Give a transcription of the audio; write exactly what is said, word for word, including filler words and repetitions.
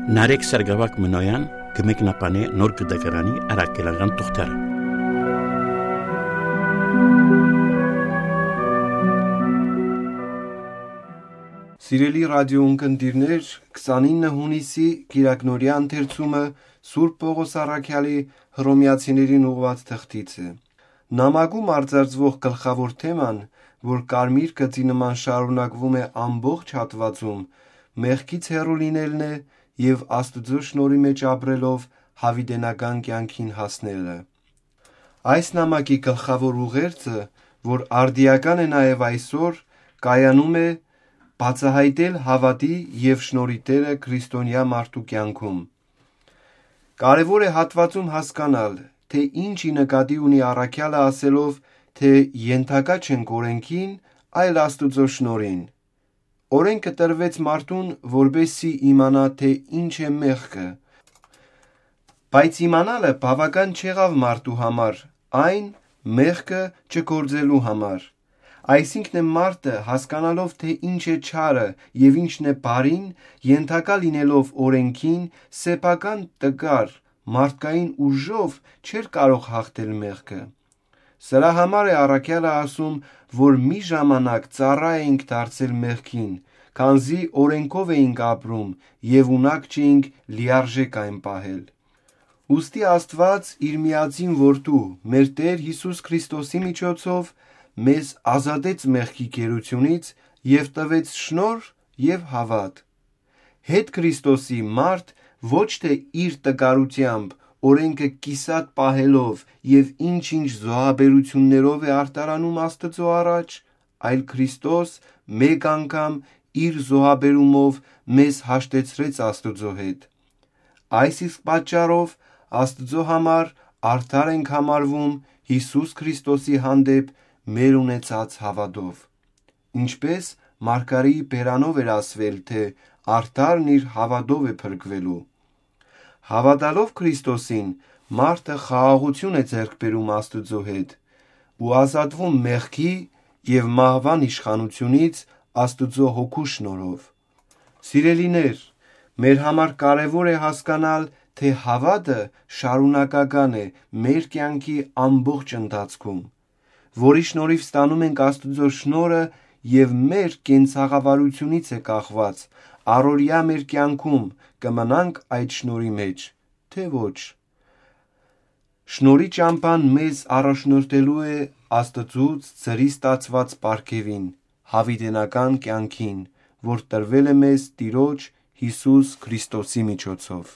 Նարեկ Սարգսակ Մնոյան կմեկնաբանի նոր գդակարանի առաքելական թղթերը։ Սիրելի ռադիոընկերներ, քսանինը հունիսի Կիրակնորյա ընթերցումը Սուրբ Պողոս առաքյալի Հռոմեացիներին ուղղված թղթից է։ Նամակում արձարծվող գլխավոր թեման, որ կարմիր գծի նման շարունակվում է ամբողջ հատվածում, մեղքից հեռու լինելն է և Աստծո շնորհի մեջ ապրելով հավիտենական կյանքին հասնելը։ Այս նամակի գլխավոր ուղերձը, որ արդիական է նաև այսօր, կայանում է բացահայտել հավատի և շնորհի Տերը քրիստոնյա մարդու կյանքում։ Կարևոր է հատվածում հասկանալ, թե ինչի նկատի ունի առաքյալը ասելով, թե ենթակա չենք օրենքին, այլ Աստծո շնորհին։ Օրենքը տրվեց մարդուն, որպեսզի իմանա, թե ինչ է մեղքը, բայց իմանալը բավական չեղավ մարդու համար, այն մեղքը չգործելու համար։ Այսինքն է մարդը, հասկանալով, թե ինչ է չարը և ինչն է բարին, ենթակա լինելով օրենքին, սեփական տկար, մարդկային ուժով չէր կարող հաղթել մեղքը։ Սրա համար է առաքյալը ասում, որ մի ժամանակ ծառա էինք դարձել մեղքին, քանզի օրենքով էինք ապրում և ունակ չէինք լիարժեք այն պահել։ Ուստի Աստված իր միածին Որդու՝ մեր Տեր Հիսուս Քրիստոսի միջոցով մեզ ազատեց մեղքի գերությունից և տվեց շնորհ և հավատ։ Հետ Քրիստոսի մարդ ոչ թե իր տկարությամբ, օրենքը կիսատ պահելով և ինչ-ինչ զոհաբերություններով է արտարանում Աստծո առաջ, այլ Քրիստոս մեկ անգամ իր զոհաբերումով մեզ հաշտեցրեց Աստծո հետ։ Այս իսկ պատճառով Աստծո համար արդար ենք համարվում Հիսուս Քրիստոսի հանդեպ մեր ունեցած հավատով։ Ինչպես Մարգարեի բերանով էր ասվել, թե արդարն իր հավատով է փրկվելու։ Հավատալով Քրիստոսին, մարդը խաղաղություն է ձեռք բերում Աստծո հետ ու ազատվում մեղքի և մահվան իշխանությունից Աստծո Հոգու շնորհով։ Սիրելիներ, մեր համար կարևոր է հասկանալ, թե հավատը շարունակական է մեր կյանքի ամբողջ ընթացքում, որի շնորհիվ ստանում ենք Աստծո շնորհը և մեր կենցաղավարությունից է կախված առօրյա մեր կյանքում կմնանք այդ շնորհի մեջ, թե ոչ։ Շնորհի ճամփան մեզ առաջնորդելու է Աստծուց ձրի ստացված պարգևին՝ հավիտենական կյանքին, որ տրվել է մեզ Տիրոջ Հիսուս Քրիստոսի միջոցով։